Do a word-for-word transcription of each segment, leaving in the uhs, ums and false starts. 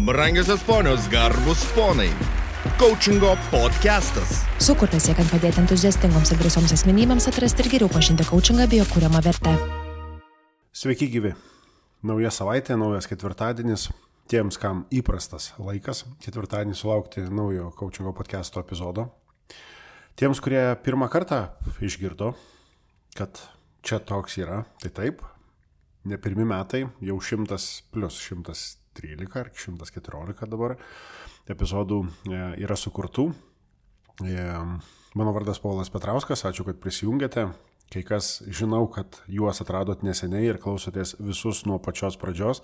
Brangiosios ponios, garbus ponai. Coachingo podcastas. Sukurtas siekiant padėti entuziastingoms ir drąsioms asmenybėms atrasti ir geriau pažinti coachingą bei jo kuriamą vertę. Sveiki gyvi. Nauja savaitė, naujas ketvirtadienis. Tiems, kam įprastas laikas, ketvirtadienį sulaukti naujo coachingo podcasto epizodo. Tiems, kurie pirmą kartą išgirdo, kad čia toks yra, tai taip, ne pirmi metai, jau šimtas plus šimtas trylika ar šimtas keturiolika dabar epizodų yra sukurtų. Mano vardas Paulas Petrauskas, ačiū, kad prisijungėte. Kai kas žinau, kad juos atradot neseniai ir klausotės visus nuo pačios pradžios.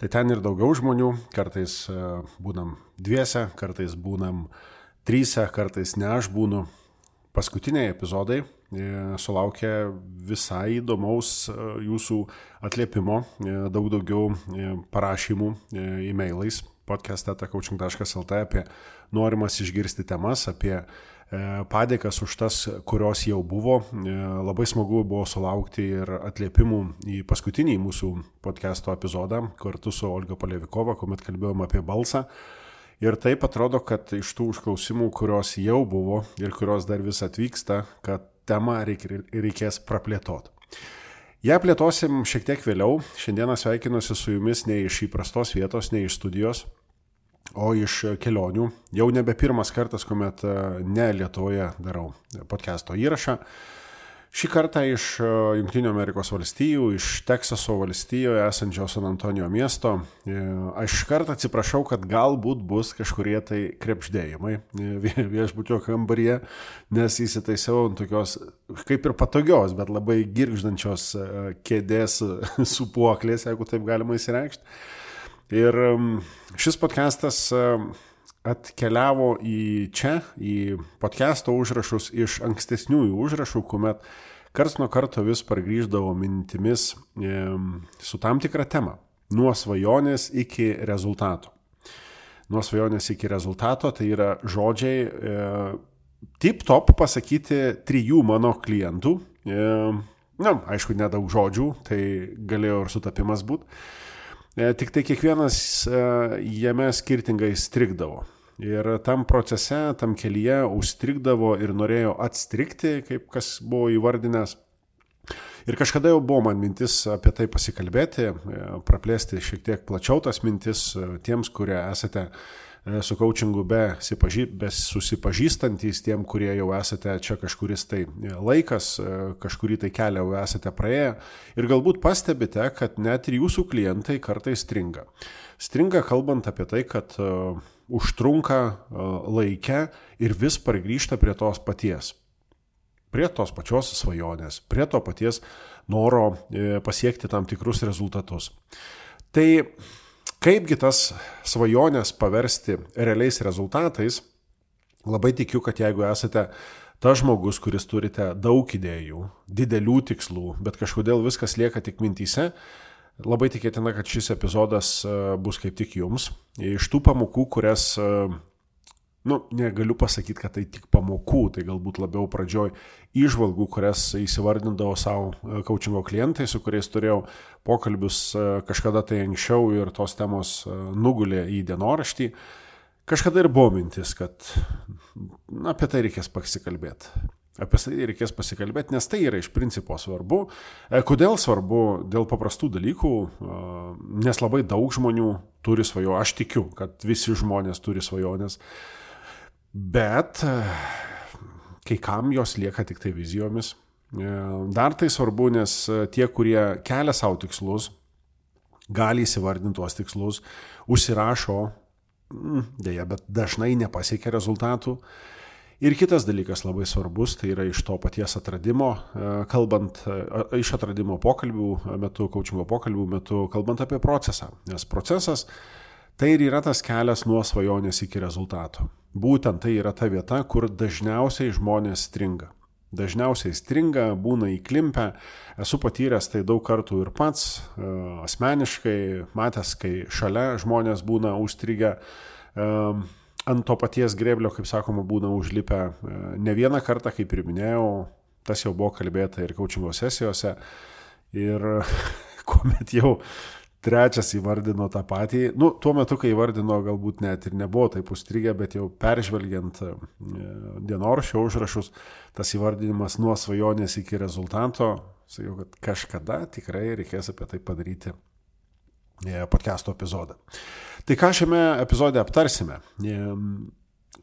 Tai ten ir daugiau žmonių, kartais būnam dviese, kartais būnam tryse, kartais ne aš būnu. Paskutiniai epizodai sulaukė visai įdomaus jūsų atliepimo, daug daugiau parašymų e-mailais podcast eta coaching taškas lt apie norimas išgirsti temas, apie padėkas už tas, kurios jau buvo. Labai smagu buvo sulaukti ir atliepimų į paskutinį mūsų podcasto epizodą kartu su Olga Polevikova, kuomet kalbėjom apie balsą. Ir taip atrodo, kad iš tų užklausimų, kurios jau buvo ir kurios dar vis atvyksta, kad temą reikės praplėtoti. Ja plėtosim šiek tiek vėliau. Šiandieną sveikinuosi su jumis ne iš įprastos vietos, ne iš studijos, o iš kelionių. Jau nebe pirmas kartas, kuomet ne Lietuvoje darau podcasto įrašą. Šį kartą iš Jungtinių Amerikos valstijų, iš Teksaso valstijoje esančio San Antonijo miesto. Aš kartą atsiprašau, kad galbūt bus kažkurie tai krepšdėjimai viešbučio kambaryje, nes įsitaisiau ant tokios kaip ir patogios, bet labai girgždančios kėdės sūpuoklės, jeigu taip galima įsireikšti. Ir šis podcastas atkeliavo į čia, į podcasto užrašus iš ankstesniųjų užrašų, kuomet karts nuo karto vis pargrįždavo mintimis e, su tam tikra tema. Nuo svajonės iki rezultato. Nuo svajonės iki rezultato tai yra žodžiai e, tip-top pasakyti trijų mano klientų. E, na, aišku, nedaug žodžių, tai galėjo ir sutapimas būti. Tik tai kiekvienas jame skirtingai strigdavo. Ir tam procese, tam kelyje užstrigdavo ir norėjo atstrigti, kaip kas buvo įvardinęs. Ir kažkada jau buvo man mintis apie tai pasikalbėti, praplėsti šiek tiek plačiau tas mintis tiems, kurie esate su coachingu be, be susipažįstantys, tiem, kurie jau esate čia kažkuris tai laikas, kažkurį tai kelią jau esate praėję ir galbūt pastebite, kad net ir jūsų klientai kartais stringa. Stringa kalbant apie tai, kad uh, užtrunka uh, laikę ir vis pargrįžta prie tos paties. Prie tos pačios svajonės, prie to paties noro uh, pasiekti tam tikrus rezultatus. Tai kaipgi tas svajonės paversti realiais rezultatais? Labai tikiu, kad jeigu esate tas žmogus, kuris turite daug idėjų, didelių tikslų, bet kažkodėl viskas lieka tik mintyse, labai tikėtina, kad šis epizodas bus kaip tik jums. Iš tų pamokų, kurias, nu, negaliu pasakyti, kad tai tik pamokų, tai galbūt labiau pradžioj įžvalgų, kurias įsivardindavo savo coachingo klientai, su kuriais turėjau pokalbius kažkada tai anksčiau ir tos temos nugulė į dienoraštį. Kažkada ir buvo mintis, kad na, apie tai reikės pasikalbėti. Apie tai reikės pasikalbėti, nes tai yra iš principo svarbu. Kodėl svarbu? Dėl paprastų dalykų, nes labai daug žmonių turi svajonę. Aš tikiu, kad visi žmonės turi svajonės, bet kai kam jos lieka tik tai vizijomis. Dar tai svarbu, nes tie, kurie kelia savo tikslus, gali įsivardinti tuos tikslus, užsirašo, dėja, bet dažnai nepasiekia rezultatų. Ir kitas dalykas labai svarbus, tai yra iš to paties atradimo, kalbant, iš atradimo pokalbių metu, coachingo pokalbių metu, kalbant apie procesą. Nes procesas tai ir yra tas kelias nuo svajonės iki rezultato. Būtent tai yra ta vieta, kur dažniausiai žmonės stringa. Dažniausiai stringa, būna įklimpę. Esu patyręs tai daug kartų ir pats, asmeniškai, matęs, kai šalia žmonės būna užstrigę. Ant to paties grėblio, kaip sakoma, būna užlipę ne vieną kartą, kaip ir minėjau, tas jau buvo kalbėta ir coachingo sesijose. Ir kuomet jau trečias įvardino tą patį. Nu, tuo metu, kai įvardino, galbūt net ir nebuvo taip užstrigę, bet jau peržvelgiant dienoraščio užrašus, tas įvardinimas nuo svajonės iki rezultato, sakiau, kad kažkada tikrai reikės apie tai padaryti podcast'o epizodą. Tai ką šiame epizode aptarsime?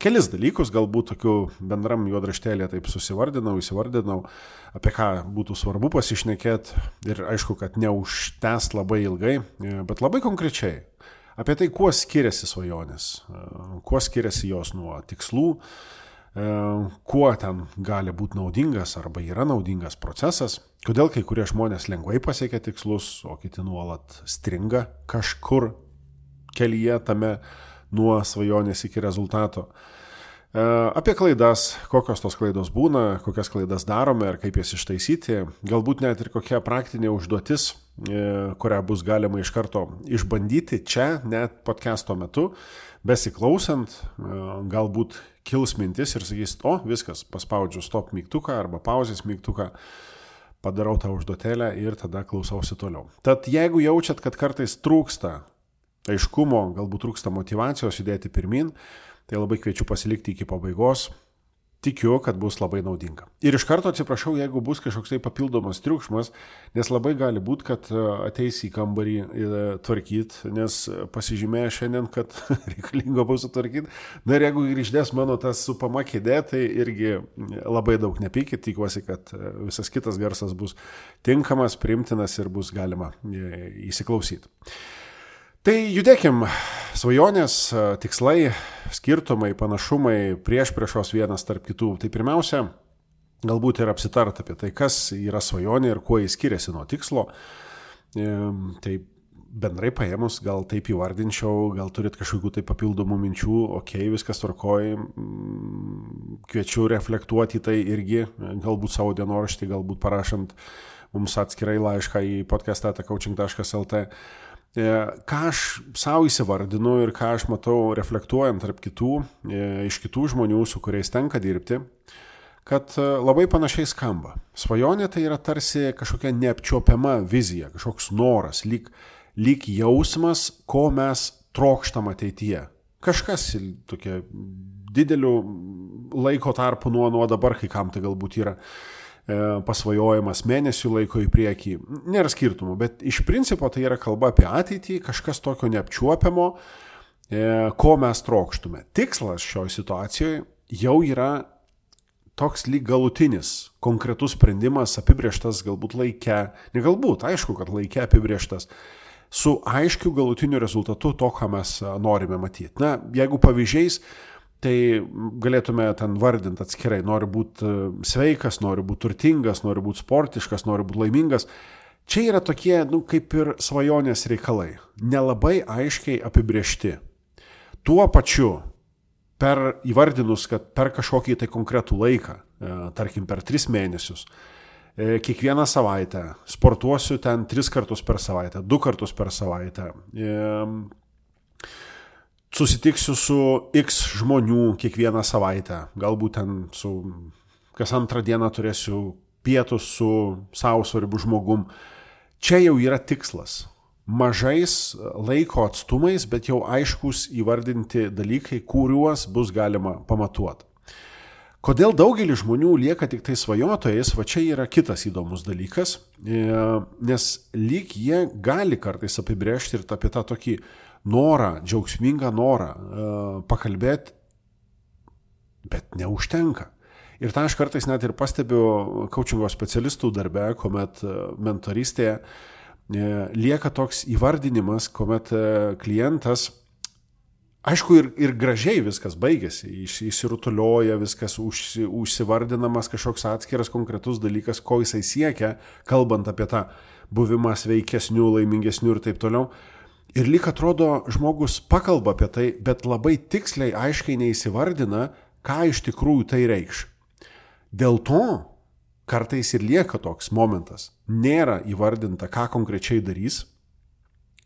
Kelis dalykus, galbūt tokių bendram juodraštėlė taip susivardinau, įsivardinau, apie ką būtų svarbu pasišnekėti ir aišku, kad neužtęs labai ilgai, bet labai konkrečiai apie tai, kuo skiriasi svajonės, kuo skiriasi jos nuo tikslų, kuo ten gali būti naudingas arba yra naudingas procesas, kodėl kai kurie žmonės lengvai pasiekia tikslus, o kiti nuolat stringa kažkur kelyje tame nuo svajonės iki rezultato. Apie klaidas, kokios tos klaidos būna, kokias klaidas darome ir kaip jas ištaisyti, galbūt net ir kokia praktinė užduotis, kurią bus galima iš karto išbandyti čia, net podcast'o metu, besiklausant, galbūt kils mintis ir sakys, o viskas, paspaudžiu stop mygtuką arba pauzės mygtuką, padarau tą užduotėlę ir tada klausausi toliau. Tad jeigu jaučiat, kad kartais trūksta aiškumo, galbūt trūksta motyvacijos judėti pirmin, tai labai kviečiu pasilikti iki pabaigos. Tikiu, kad bus labai naudinga. Ir iš karto atsiprašau, jeigu bus kažkoks tai papildomas triukšmas, nes labai gali būti, kad ateis į kambarį tvarkyti, nes pasižymėjo šiandien, kad reikalingo bus sutvarkyti. Na ir jeigu grįždės mano tas supama kėdė, tai irgi labai daug nepykit, tikiuosi, kad visas kitas garsas bus tinkamas, priimtinas ir bus galima įsiklausyti. Tai judėkim, svajonės, tikslai, skirtumai, panašumai, priešpriešos vienas tarp kitų. Tai pirmiausia, galbūt ir apsitart apie tai, kas yra svajonė ir kuo jis skiriasi nuo tikslo. Tai bendrai paėmus, gal taip įvardinčiau, gal turit kažkokių tai papildomų minčių, okei, okay, viskas tvarkoj, kviečiu reflektuoti tai irgi, galbūt savo dienoraštį, galbūt parašant mums atskirai laišką į podcast eta coaching taškas lt. Ką aš savo įsivardinu ir ką aš matau reflektuojant tarp kitų, iš kitų žmonių, su kuriais tenka dirbti, kad labai panašiai skamba. Svajonė tai yra tarsi kažkokia neapčiuopiama vizija, kažkoks noras, lyg, lyg jausmas, ko mes trokštam ateityje. Kažkas tokia didelių laiko tarpų nuo, nuo dabar, kai kam tai galbūt yra pasvajojimas mėnesių laiko į priekį, nėra skirtumų, bet iš principo tai yra kalba apie ateitį, kažkas tokio neapčiuopiamo, ko mes trokštume. Tikslas šioje situacijoje jau yra toks lyg galutinis, konkretus sprendimas, apibrėžtas galbūt laike, ne galbūt, aišku, kad laike apibrėžtas, su aiškiu galutiniu rezultatu to, ką mes norime matyti. Na, jeigu pavyzdžiais, tai galėtume ten vardinti atskirai, noriu būti sveikas, noriu būti turtingas, noriu būti sportiškas, noriu būti laimingas. Čia yra tokie, nu, kaip ir svajonės reikalai, nelabai aiškiai apibrėžti. Tuo pačiu, per įvardinus, kad per kažkokį tai konkretų laiką, tarkim per tris mėnesius, kiekvieną savaitę, sportuosiu ten tris kartus per savaitę, du kartus per savaitę, susitiksiu su X žmonių kiekvieną savaitę, galbūt ten su kas antrą dieną turėsiu pietus su savo svarbiu žmogum. Čia jau yra tikslas. Mažais laiko atstumais, bet jau aiškus įvardinti dalykai, kuriuos bus galima pamatuoti. Kodėl daugelis žmonių lieka tik tai svajotojais, va čia yra kitas įdomus dalykas, nes lyg jie gali kartais apibrėžti ir apie tą tokį norą, džiaugsmingą norą pakalbėti, bet neužtenka. Ir tą aš kartais net ir pastebiu coachingo specialistų darbe, kuomet mentorystėje lieka toks įvardinimas, kuomet klientas, aišku, ir, ir gražiai viskas baigėsi, įsirutulioja, viskas užsi, užsivardinamas kažkoks atskiras konkretus dalykas, ko jisai siekia, kalbant apie tą buvimą sveikesnių, laimingesnių ir taip toliau. Ir lyg atrodo, žmogus pakalba apie tai, bet labai tiksliai, aiškiai neįsivardina, ką iš tikrųjų tai reikš. Dėl to kartais ir lieka toks momentas. Nėra įvardinta, ką konkrečiai darys,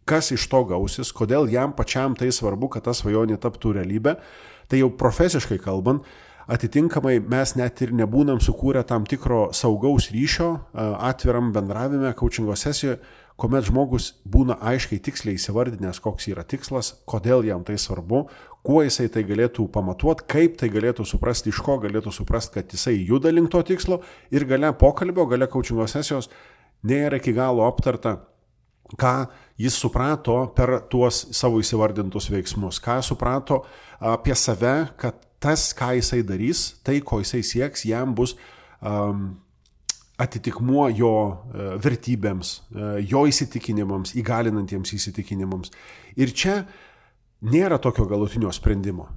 kas iš to gausis, kodėl jam pačiam tai svarbu, kad ta svajonė taptų realybė. Tai jau profesiškai kalbant, atitinkamai mes net ir nebūnam sukūrę tam tikro saugaus ryšio atviram bendravime, coachingo sesijoje, kuomet žmogus būna aiškiai tiksliai įsivardinęs, koks yra tikslas, kodėl jam tai svarbu, kuo jisai tai galėtų pamatuoti, kaip tai galėtų suprasti, iš ko galėtų suprasti, kad jisai juda link to tikslo ir gale pokalbio, gale coachingo sesijos nėra iki galo aptarta, ką jis suprato per tuos savo įsivardintus veiksmus, ką suprato apie save, kad tas, ką jisai darys, tai, ko jisai sieks, jam bus um, atitikmuo jo uh, vertybėms, uh, jo įsitikinimams, įgalinantiems įsitikinimams. Ir čia nėra tokio galutinio sprendimo.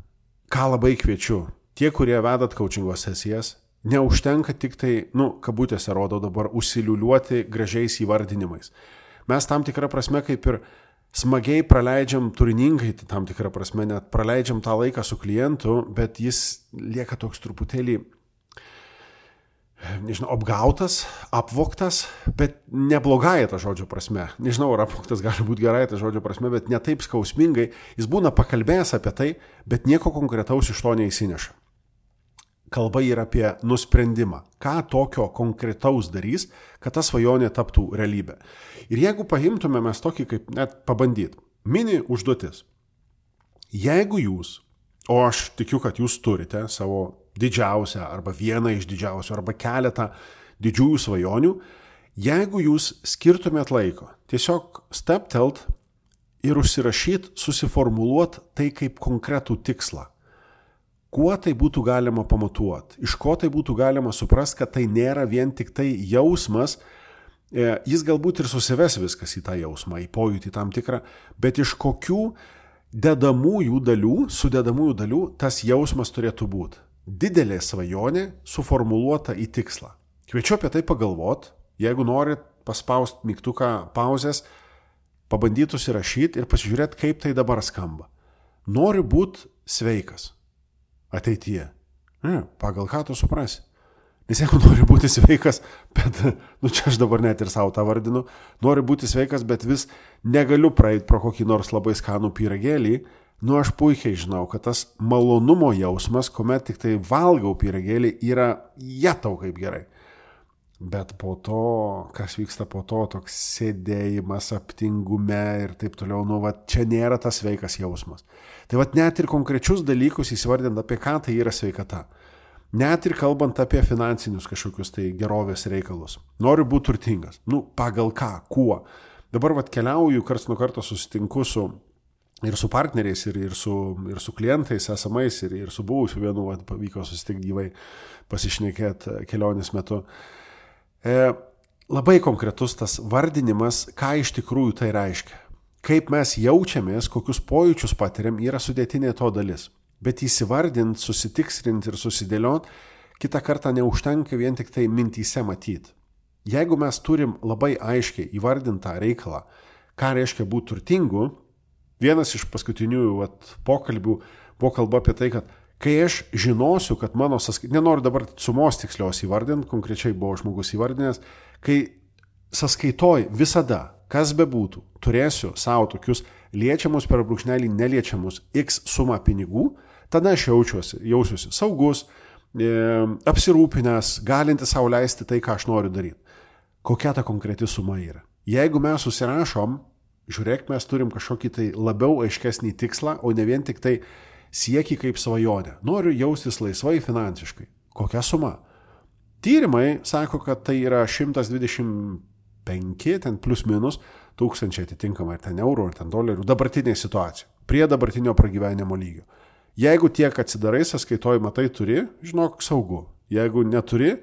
Ką labai kviečiu, tie, kurie vedat coachingo sesijas, neužtenka tik tai, nu, kabutėse rodo dabar, užsiliuliuoti gražiais įvardinimais. Mes tam tikrą prasme kaip ir smagiai praleidžiam, turiningai tam tikrą prasme, net praleidžiam tą laiką su klientu, bet jis lieka toks truputėlį, nežinau, apgautas, apvogtas, bet neblogai ta žodžio prasme. Nežinau, ar apvogtas gali būti gerai ta žodžio prasme, bet ne taip skausmingai. Jis būna pakalbėjęs apie tai, bet nieko konkretaus iš to neįsineša. Kalba yra apie nusprendimą, ką tokio konkretaus darys, kad ta svajonė taptų realybė. Ir jeigu paimtume mes tokį kaip net pabandyt, mini užduotis. Jeigu jūs, o aš tikiu, kad jūs turite savo didžiausią arba vieną iš didžiausių arba keletą didžiųjų svajonių, jeigu jūs skirtumėt laiko, tiesiog steptelt ir užsirašyt, susiformuluot tai kaip konkretų tikslą. Kuo tai būtų galima pamatuoti, iš ko tai būtų galima suprasti, kad tai nėra vien tik tai jausmas, jis galbūt ir susives viskas į tą jausmą, į pojūtį tam tikrą, bet iš kokių dedamųjų dalių, sudedamųjų dalių tas jausmas turėtų būti. Didelė svajonė suformuluota į tikslą. Kviečiu apie tai pagalvot, jeigu norit paspaust mygtuką pauzės, pabandyti užsirašyti ir pasižiūrėti, kaip tai dabar skamba. Noriu būti sveikas ateityje. Ne, pagal ką tu suprasi? Nes jeigu nori būti sveikas, bet, nu čia aš dabar net ir savo tą vardinu, noriu būti sveikas, bet vis negaliu praeiti pro kokį nors labai skanų pyragėlį, nu aš puikiai žinau, kad tas malonumo jausmas, kuomet tik tai valgau pyragėlį, yra jetau kaip gerai. Bet po to, kas vyksta po to, toks sėdėjimas aptingume ir taip toliau, nu va, čia nėra tas sveikas jausmas. Tai va, net ir konkrečius dalykus įsivardint, apie ką tai yra sveikata. Net ir kalbant apie finansinius kažkokius tai gerovės reikalus. Noriu būti turtingas. Nu, pagal ką, kuo. Dabar va, keliauju, karts nuo karto susitinku su ir su partneriais, ir, ir, su, ir su klientais esamais, ir, ir su buvusiu vienu, va, pavyko susitikti gyvai, pasišnekėti kelionės metu. E, labai konkretus tas vardinimas, ką iš tikrųjų tai reiškia. Kaip mes jaučiamės, kokius pojūčius patiriam, yra sudėtinė to dalis. Bet įsivardint, susitikslint ir susidėliot, kitą kartą neužtenka vien tik tai mintyse matyti. Jeigu mes turim labai aiškiai įvardintą reikalą, ką reiškia būti turtingu, vienas iš paskutinių vat, pokalbių buvo kalba apie tai, kad kai aš žinosiu, kad mano sąskaitoj, nenoriu dabar sumos tikslios įvardinti, konkrečiai buvo žmogus įvardinęs, kai sąskaitoj visada, kas bebūtų, turėsiu savo tokius liečiamus per brūkšnelį neliečiamus X sumą pinigų, tada aš jaučiuosi, jausiuosi saugus, e, apsirūpinęs, galinti sau leisti tai, ką aš noriu daryti. Kokia ta konkreti suma yra? Jeigu mes susirašom, žiūrėk, mes turim kažkokį tai labiau aiškesnį tikslą, o ne vien tik tai siekį kaip svajonę. Noriu jaustis laisvai finansiškai. Kokia suma? Tyrimai sako, kad tai yra šimtas dvidešimt penki, ten plus minus, tūkstančiai atitinkamai, ar ten eurų, ar ten dolerių, dabartinė situacija, prie dabartinio pragyvenimo lygio. Jeigu tiek atsidarai sąskaitoj, matai, turi, žinok, saugu. Jeigu neturi,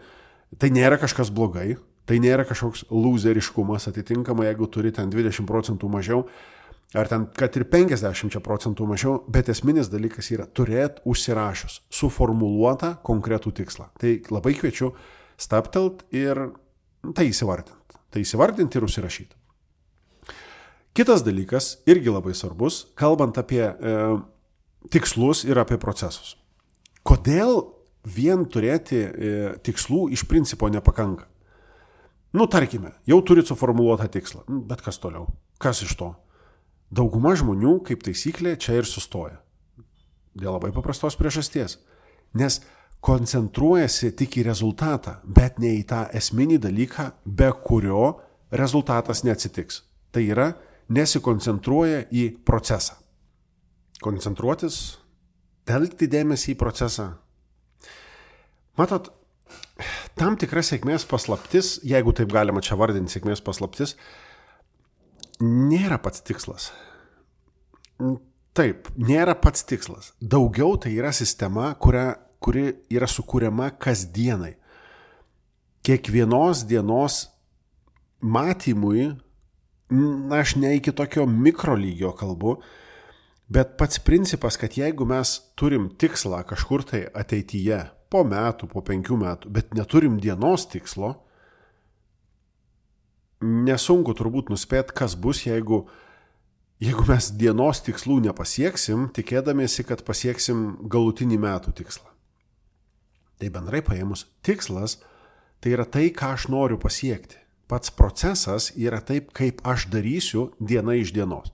tai nėra kažkas blogai, tai nėra kažkoks lūzeriškumas, atitinkamai, jeigu turi ten dvidešimt procentų mažiau, ar ten, kad ir penkiasdešimt procentų mažiau, bet esminis dalykas yra turėti užsirašius, suformuluotą konkretų tikslą. Tai labai kviečiu staptelt ir tai įsivardinti. Tai įsivardinti ir užsirašyti. Kitas dalykas, irgi labai svarbus, kalbant apie e, tikslus ir apie procesus. Kodėl vien turėti e, tikslų iš principo nepakanka? Nu, tarkime, jau turit suformuluotą tikslą, bet kas toliau? Kas iš to? Dauguma žmonių, kaip taisyklė, čia ir sustoja. Dėl labai paprastos priežasties. Nes koncentruojasi tik į rezultatą, bet ne į tą esminį dalyką, be kurio rezultatas neatsitiks. Tai yra nesikoncentruoja į procesą. Koncentruotis, telkti dėmesį į procesą. Matot, tam tikra sėkmės paslaptis, jeigu taip galima čia vardinti sėkmės paslaptis, nėra pats tikslas. Taip, nėra pats tikslas. Daugiau tai yra sistema, kuria, kuri yra sukūriama kasdienai. Kiekvienos dienos matymui, na, aš ne iki tokio mikrolygio kalbu, bet pats principas, kad jeigu mes turim tikslą kažkur tai ateityje, po metų, po penkių metų, bet neturim dienos tikslo, nesunku turbūt nuspėti, kas bus, jeigu, jeigu mes dienos tikslų nepasieksim, tikėdamiesi, kad pasieksim galutinį metų tikslą. Tai bendrai paėmus, tikslas tai yra tai, ką aš noriu pasiekti. Pats procesas yra taip, kaip aš darysiu diena iš dienos.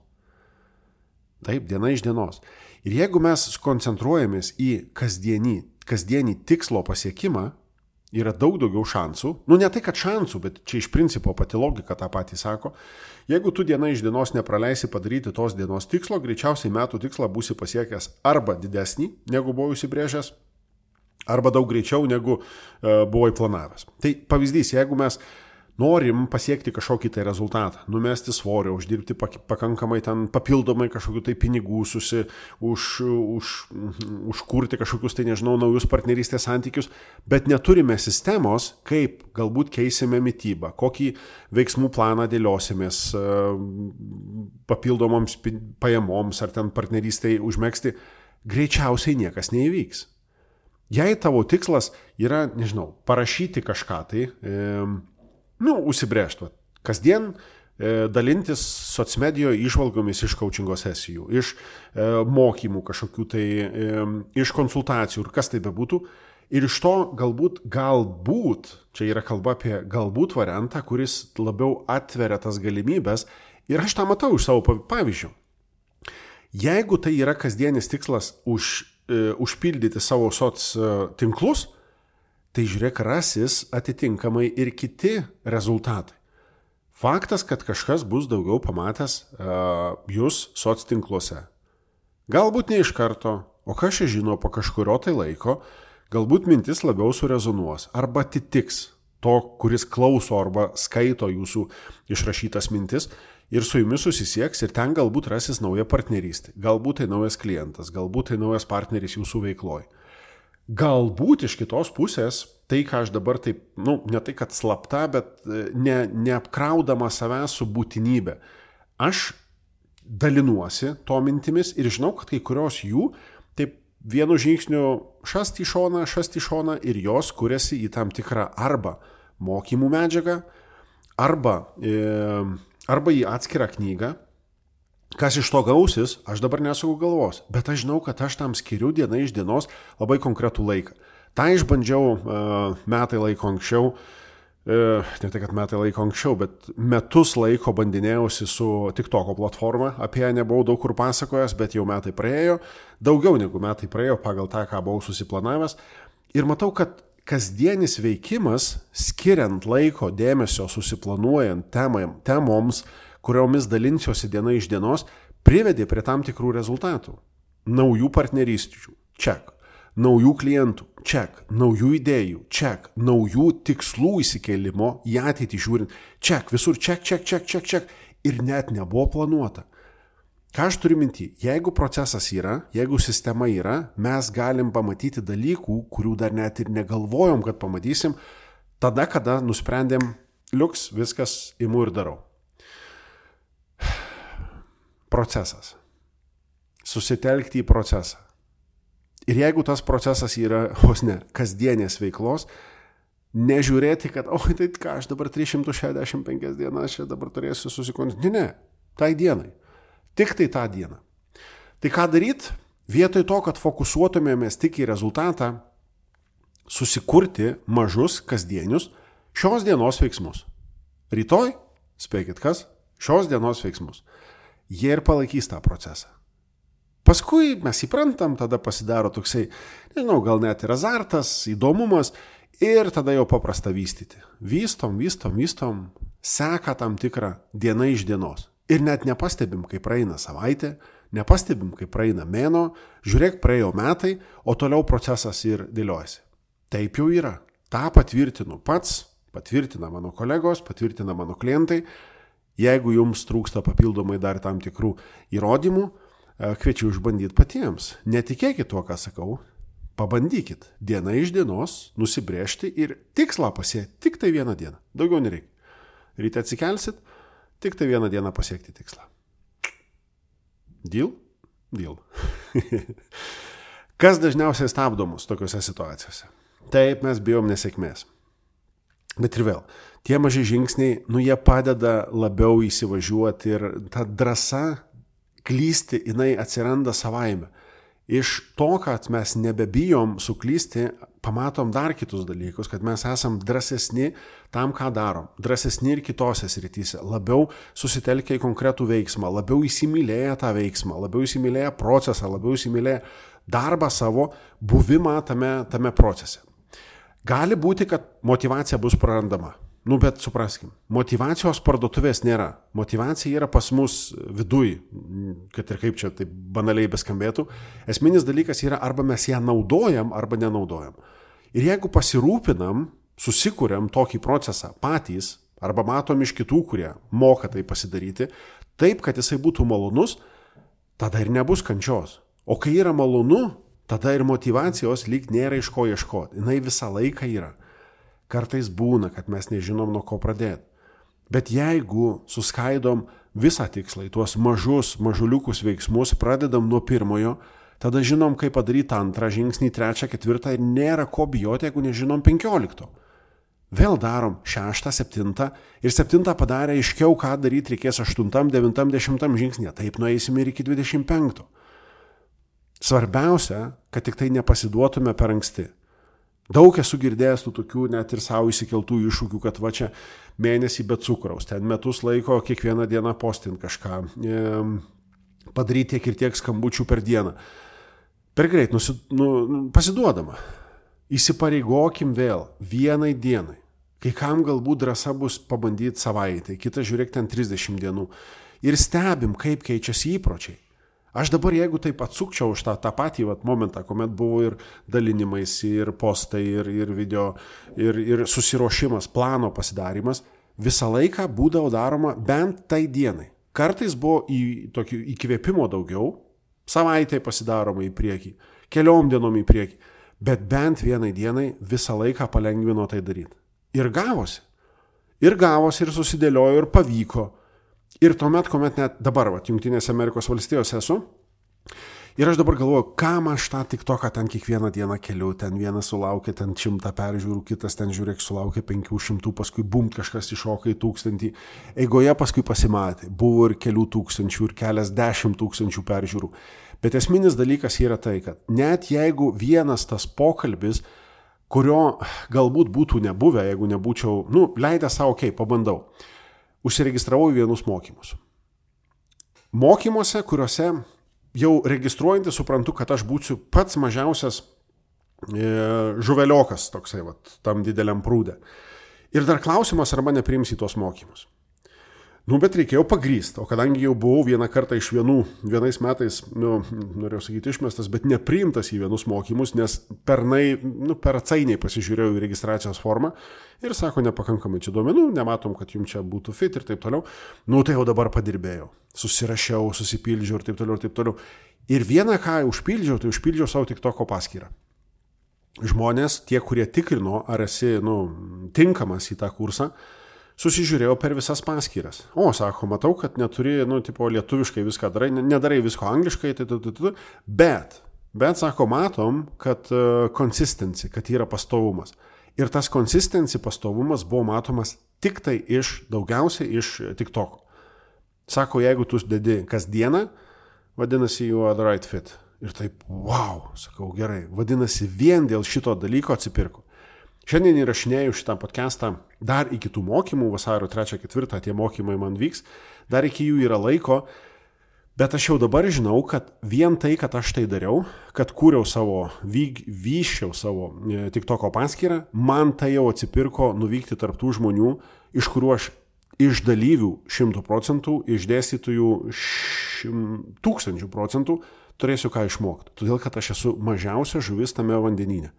Taip, diena iš dienos. Ir jeigu mes koncentruojamės į kasdienį, kasdienį tikslo pasiekimą, yra daug daugiau šansų. Nu, ne tai, kad šansų, bet čia iš principo pati logika tą patį sako. Jeigu tu diena iš dienos nepraleisi padaryti tos dienos tikslo, greičiausiai metų tikslą būsi pasiekęs arba didesnį, negu buvai užsibrėžęs, arba daug greičiau, negu uh, buvai planavęs. Tai pavyzdys, jeigu mes norim pasiekti kažkokį tai rezultatą, numesti svorio, uždirbti pakankamai ten papildomai kažkokių tai pinigų, susi, už, už, užkurti kažkokius tai, nežinau, naujus partnerystės santykius, bet neturime sistemos, kaip galbūt keisime mitybą, kokį veiksmų planą dėliosimės papildomoms pajamoms ar ten partnerystėj užmegzti, greičiausiai niekas neįvyks. Jei tavo tikslas yra, nežinau, parašyti kažką tai, e, nu, užsibrėžti. Kasdien e, dalintis socmedijoje išvalgomis iš coachingo sesijų, iš e, mokymų kažkokių tai, e, iš konsultacijų ir kas tai bebūtų. Ir iš to galbūt, galbūt, čia yra kalba apie galbūt variantą, kuris labiau atveria tas galimybės. Ir aš tą matau iš savo pavyzdžių. Jeigu tai yra kasdienis tikslas už, e, užpildyti savo soc tinklus, tai žiūrėk, rasis atitinkamai ir kiti rezultatai. Faktas, kad kažkas bus daugiau pamatęs uh, jūs soc tinkluose. Galbūt ne iš karto, o kas čia žino po kažkurio tai laiko, galbūt mintis labiau surezonuos arba atitiks to, kuris klauso arba skaito jūsų išrašytas mintis ir su jumis susisieks ir ten galbūt rasis nauja partnerystė, galbūt tai naujas klientas, galbūt tai naujas partneris jūsų veikloj. Galbūt iš kitos pusės, tai ką aš dabar taip, nu, ne tai kad slapta, bet ne, neapkraudama savęs su būtinybė. Aš dalinuosi to mintimis ir žinau, kad kai kurios jų taip vienu žingsniu šast į šoną, šast į šoną ir jos kuriasi į tam tikrą arba mokymų medžiagą, arba, e, arba į atskirą knygą. Kas iš to gausis, aš dabar nesuku galvos, bet aš žinau, kad aš tam skiriu diena iš dienos labai konkretų laiką. Ta išbandžiau uh, metai laiko anksčiau, uh, ne tai, kad metai laiko anksčiau, bet metus laiko bandinėjausi su TikToko platforma, apie ją nebuvau daug kur pasakojęs, bet jau metai praėjo, daugiau negu metai praėjo pagal tą, ką buvau susiplanavęs. Ir matau, kad kasdienis veikimas, skiriant laiko, dėmesio, susiplanuojant temam, temoms, kuriomis dalinsiuosi diena iš dienos, privedė prie tam tikrų rezultatų. Naujų partnerysčių, ček. Naujų klientų, ček. Naujų idėjų, ček. Naujų tikslų įsikėlimo į ateitį žiūrint, ček. Visur ček, ček, ček, ček, ček. Ir net nebuvo planuota. Ką aš turiu minty? Jeigu procesas yra, jeigu sistema yra, mes galim pamatyti dalykų, kurių dar net ir negalvojom, kad pamatysim, tada, kada nusprendėm, liuks, viskas imu ir darau. Procesas. Susitelkti į procesą. Ir jeigu tas procesas yra, vos ne, kasdienės veiklos, nežiūrėti, kad, oi, tai ką, aš dabar trys šimtai šešiasdešimt penkias dienas čia dabar turėsiu susikoncentruoti. Ne, ne, tai dienai. Tik tai tą dieną. Tai ką daryti? Vietoj to, kad fokusuotumėmės tik į rezultatą, susikurti mažus kasdienius šios dienos veiksmus. Rytoj, spėkit kas, šios dienos veiksmus. Jie ir palaikys tą procesą. Paskui mes įprantam, tada pasidaro toksai, nežinau, gal net ir azartas, įdomumas ir tada jau paprasta vystyti. Vystom, vystom, vystom, seka tam tikrą diena iš dienos. Ir net nepastebim, kai praeina savaitė, nepastebim, kai praeina mėno, žiūrėk, praėjo metai, o toliau procesas ir dėliojasi. Taip jau yra. Ta patvirtinu pats, patvirtina mano kolegos, patvirtina mano klientai. Jeigu jums trūksta papildomai dar tam tikrų įrodymų, kviečiu išbandyti patiems. Netikėkit tuo, ką sakau. Pabandykit diena iš dienos nusibrėžti ir tikslą pasiekti tik tai vieną dieną. Daugiau nereikia. Ryte atsikelsit, tik tai vieną dieną pasiekti tikslą. Deal? Deal. Kas dažniausiai stabdo mus tokiuose situacijose? Taip, mes bijom nesėkmės. Bet ir vėl, tie maži žingsniai, nu jie padeda labiau įsivažiuoti ir ta drąsa klysti, jinai atsiranda savaime. Iš to, kad mes nebebijom suklysti, pamatom dar kitus dalykus, kad mes esam drąsesni tam, ką darom. Drąsesni ir kitose srityse. Labiau susitelkę į konkretų veiksmą, labiau įsimylėję tą veiksmą, labiau įsimylėję procesą, labiau įsimylėję darbą savo, buvimą tame, tame procese. Gali būti, kad motyvacija bus prarandama. Nu, bet supraskim, motyvacijos parduotuvės nėra. Motyvacija yra pas mus viduj, kad ir kaip čia taip banaliai beskambėtų. Esminis dalykas yra arba mes ją naudojam, arba nenaudojam. Ir jeigu pasirūpinam, susikuriam tokį procesą patys, arba matom iš kitų, kurie moka tai pasidaryti, taip, kad jisai būtų malonus, tada ir nebus kančios. O kai yra malonu, tada ir motyvacijos lyg nėra iš ko ieškoti. Jinai visą laiką yra. Kartais būna, kad mes nežinom, nuo ko pradėti. Bet jeigu suskaidom visą tikslą į tuos mažus, mažuliukus veiksmus, pradedam nuo pirmojo, tada žinom, kaip padaryti antrą žingsnį, trečią, ketvirtą ir nėra ko bijoti, jeigu nežinom penkiolikto. Vėl darom šeštą, septintą ir septintą padarę aiškiau, ką daryti reikės aštuntam, devintam, dešimtam žingsnė. Taip nueisime ir iki dvidešimt penkto. Svarbiausia, kad tik tai nepasiduotume per anksti. Daug esu girdėjęs tų tokių net ir savo įsikeltų iššūkių, kad va čia mėnesį be cukraus, ten metus laiko kiekvieną dieną postint kažką, e, padaryti tiek ir tiek skambučių per dieną. Per greit, nusi, nu, pasiduodama. Įsipareigokim vėl vienai dienai. Kai kam galbūt drąsa bus pabandyti savaitę, kitą žiūrėk ten trisdešimt dienų. Ir stebim, kaip keičiasi įpročiai. Aš dabar, jeigu taip atsukčiau už tą, tą patį vat, momentą, kuomet buvo ir dalinimais, ir postai, ir, ir video, ir, ir susiruošimas, plano pasidarimas, visą laiką būdavo daroma bent tai dienai. Kartais buvo į tokį įkvėpimo daugiau, savaitę pasidaroma į priekį, keliom dienom į priekį, bet bent vienai dienai visą laiką palengvino tai daryti. Ir gavosi. Ir gavosi, ir susidėliojo, ir pavyko. Ir tuomet, kuomet net dabar, va, Jungtinėse Amerikos valstijose esu, ir aš dabar galvoju, kam aš tą TikToką ten kiekvieną dieną keliu, ten vienas sulaukia ten šimtą peržiūrų, kitas ten žiūrėk sulaukia penkių šimtų, paskui bum, kažkas iššoka į tūkstantį. Eigoje paskui pasimatė, buvo ir kelių tūkstančių, ir kelias dešimt tūkstančių peržiūrų. Bet esminis dalykas yra tai, kad net jeigu vienas tas pokalbis, kurio galbūt būtų nebuvę, jeigu nebūčiau, nu, leidęs savo, okei, okay, pabandau. Užsiregistravau į vienus mokymus. Mokymuose, kuriuose jau registruojantį suprantu, kad aš būsiu pats mažiausias e, žuveliokas toksai, vat, tam dideliam prūdė. Ir dar klausimas, arba nepriims į tuos mokymus. Nu, bet reikėjo pagrįsti, o kadangi jau buvau vieną kartą iš vienų, vienais metais, nu, norėjau sakyti išmestas, bet nepriimtas į vienus mokymus, nes pernai, nu, per atsainiai pasižiūrėjau į registracijos formą ir sako, nepakankamai čia duomenų, nematom, kad jums čia būtų fit ir taip toliau. Nu, tai jau dabar padirbėjau, susirašiau, susipildžiau ir taip toliau ir taip toliau. Ir vieną, ką užpildžiau, tai užpildžiau savo TikToko paskyrą. Žmonės, tie, kurie tikrino, ar esi, nu, tinkamas į tą kursą, susižiūrėjau per visas paskyras. O, sako, matau, kad neturi, nu, tipo, lietuviškai viską darai, nedarai visko angliškai, tai, tai, tai, tai, bet, bet, sako, matom, kad uh, consistency, kad yra pastovumas. Ir tas consistency pastovumas buvo matomas tik tai iš, daugiausiai iš TikToko. Sako, jeigu tu dedi kasdieną, vadinasi, you are the right fit. Ir taip, wow, sakau, gerai, vadinasi, vien dėl šito dalyko atsipirku. Šiandien įrašinėjau šitą podcastą dar iki tų mokymų, vasario trečią ketvirtą tie mokymai man vyks, dar iki jų yra laiko, bet aš jau dabar žinau, kad vien tai, kad aš tai dariau, kad kūriau savo, vyg, vyščiau savo TikToko paskyrą, man tai jau atsipirko nuvykti tarp tų žmonių, iš kurių aš iš dalyvių šimtų procentų, iš dėstytojų šim, tūkstančių procentų turėsiu ką išmokti. Todėl, kad aš esu mažiausia žuvis tame vandenyne.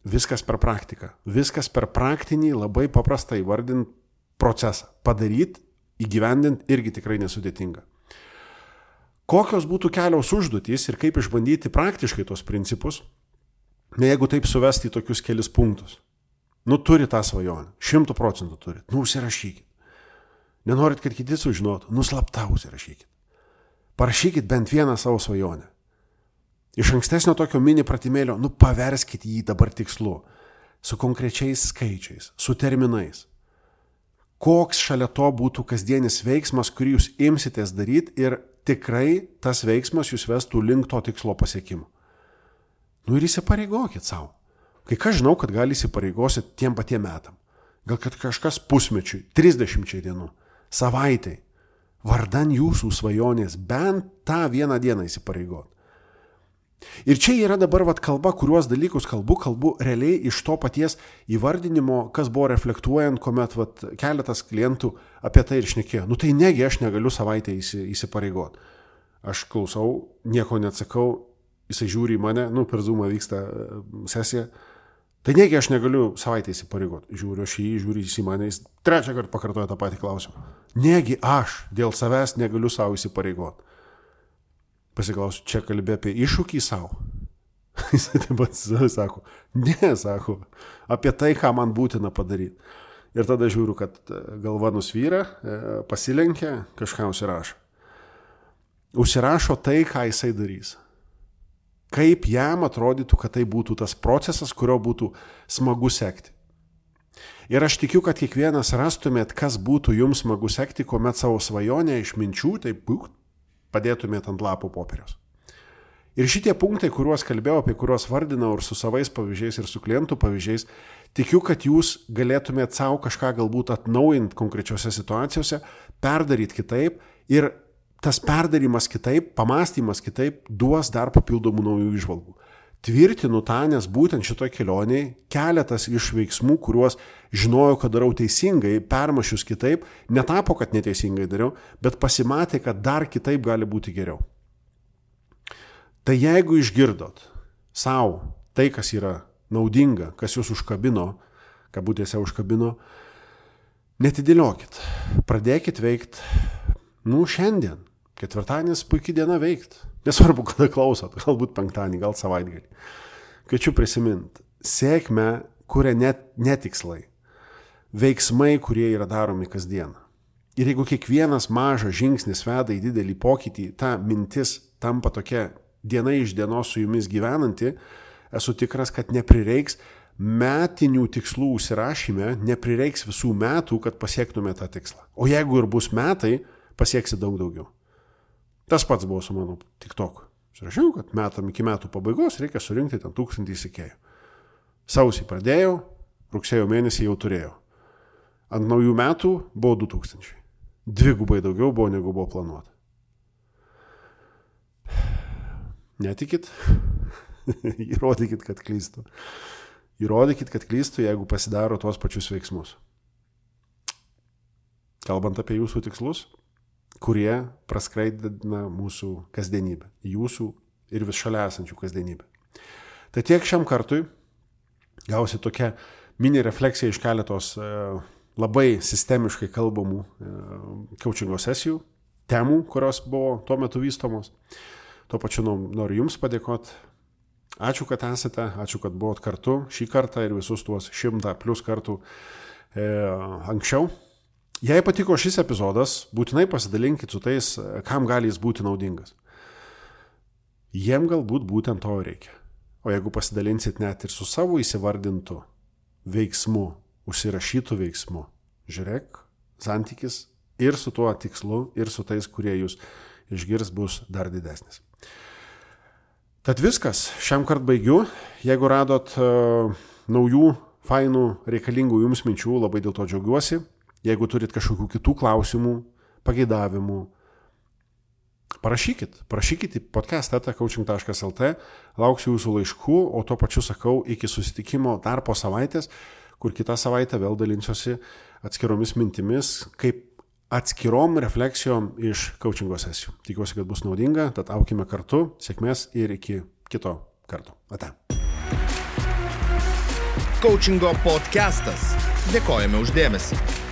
Viskas per praktiką. Viskas per praktinį, labai paprastą įvardinti procesą. Padaryti, įgyvendinti irgi tikrai nesudėtinga. Kokios būtų kelios užduotys ir kaip išbandyti praktiškai tos principus, ne jeigu taip suvesti į tokius kelis punktus. Nu, turi tą svajonę. Šimtų procentų turit. Nu, užsirašykit. Nenorit, kad kiti sužinotų. Nu, slapta užsirašykit. Parašykit bent vieną savo svajonę. Iš ankstesnio tokio mini pratimėlio, nu, paverskit jį dabar tikslu. Su konkrečiais skaičiais, su terminais. Koks šalia to būtų kasdienis veiksmas, kurį jūs imsitės daryti ir tikrai tas veiksmas jūs vestų link to tikslo pasiekimo. Nu, ir įsipareigokit savo. Kai ką žinau, kad gali įsipareigosit tiem patiem metam. Gal kad kažkas pusmečiui, trisdešimčiai dienų, savaitai, vardan jūsų svajonės, bent tą vieną dieną įsipareigot. Ir čia yra dabar vat kalba, kuriuos dalykus kalbu, kalbu realiai iš to paties įvardinimo, kas buvo reflektuojant, kuomet vat keletas klientų apie tai ir šnekėjo. Nu tai negi aš negaliu savaitę įsi, įsipareigot. Aš klausau, nieko neatsakau, jisai žiūri į mane, nu per Zoomą vyksta sesija. Tai negi aš negaliu savaitę įsipareigot. Žiūriu aš jį, žiūri jis į mane, jis trečią kartą pakartoja tą patį klausimą. Negi aš dėl savęs negaliu savo įsipareigot. Pasiklausiu, čia kalbė apie iššūkį savo. Jis taip pat sako, ne, sako, apie tai, ką man būtina padaryti. Ir tada žiūriu, kad galva nusvyra, pasilenkia, kažką užsirašo. Užsirašo tai, ką jisai darys. Kaip jam atrodytų, kad tai būtų tas procesas, kurio būtų smagu sekti. Ir aš tikiu, kad kiekvienas rastumėt, kas būtų jums smagu sekti, kuomet savo svajonę iš minčių, taip būk, padėtumėt ant lapų popieriaus. Ir šitie punktai, kuriuos kalbėjau, apie kuriuos vardinau ir su savais pavyzdžiais, ir su klientų pavyzdžiais, tikiu, kad jūs galėtumėt savo kažką galbūt atnaujinti konkrečiose situacijose, perdaryti kitaip ir tas perdarimas kitaip, pamastymas kitaip duos dar papildomų naujų įžvalgų. Tvirtinu tą, nes būtent šitoj kelionėje keletas iš veiksmų, kuriuos žinojau, kad darau teisingai, permašius kitaip, netapo, kad neteisingai dariau, bet pasimatė, kad dar kitaip gali būti geriau. Tai jeigu išgirdot savo tai, kas yra naudinga, kas jūs užkabino, kabutėse užkabino, netidėliokit, pradėkit veikti, nu šiandien. Ketvirtadienis puikiai diena veikti. Nesvarbu, kada klausot, galbūt penktadienį, gal savaitgalį. Kviečiu prisiminti, sėkmę kuria net netikslai, veiksmai, kurie yra daromi kasdieną. Ir jeigu kiekvienas mažas žingsnis veda į didelį pokytį, ta mintis tampa tokia diena iš dienos su jumis gyvenanti, esu tikras, kad neprireiks metinių tikslų užsirašyme, neprireiks visų metų, kad pasiektume tą tikslą. O jeigu ir bus metai, pasieksi daug daugiau. Tas pats buvo su mano TikTok. Rašiau, kad metam iki metų pabaigos reikia surinkti ten tūkstantį sekėjų. Sausį pradėjau, rugsėjo mėnesį jau turėjau. Ant naujų metų buvo du tūkstančiai. Dvigubai daugiau buvo, negu buvo planuota. Netikit? Įrodykit, kad klystu. Įrodykit, kad klystu, jeigu pasidaro tuos pačius veiksmus. Kalbant apie jūsų tikslus, kurie praskraidina mūsų kasdienybę, jūsų ir vis šalia esančių kasdienybę. Tai tiek šiam kartui, gausi tokia mini refleksija iš keletos e, labai sistemiškai kalbamų e, coachingo sesijų, temų, kurios buvo tuo metu vystomos. Tuo pačiu noriu Jums padėkoti. Ačiū, kad esate, ačiū, kad buvot kartu šį kartą ir visus tuos šimtą plus kartų e, anksčiau. Jei patiko šis epizodas, būtinai pasidalinkit su tais, kam gali jis būti naudingas. Jiem galbūt būtent to reikia. O jeigu pasidalinsit net ir su savo įsivardintu veiksmu, užsirašytų veiksmu, žiūrėk, santykis ir su tuo tikslu, ir su tais, kurie jūs išgirs, bus dar didesnis. Tad viskas, šiam kart baigiu. Jeigu radot uh, naujų, fainų, reikalingų jums minčių, labai dėl to džiaugiuosi. Jeigu turit kažkokių kitų klausimų, pageidavimų, parašykit. Parašykit į podcast eta coaching taškas lt, lauksiu jūsų laiškų, o tuo pačiu sakau iki susitikimo dar po savaitės, kur kitą savaitę vėl dalinsiuosi atskiromis mintimis, kaip atskirom refleksijom iš coachingo sesijų. Tikiuosi, kad bus naudinga, tad aukime kartu, sėkmės ir iki kito karto. Ate. Coachingo podcastas. Dėkojame už dėmesį.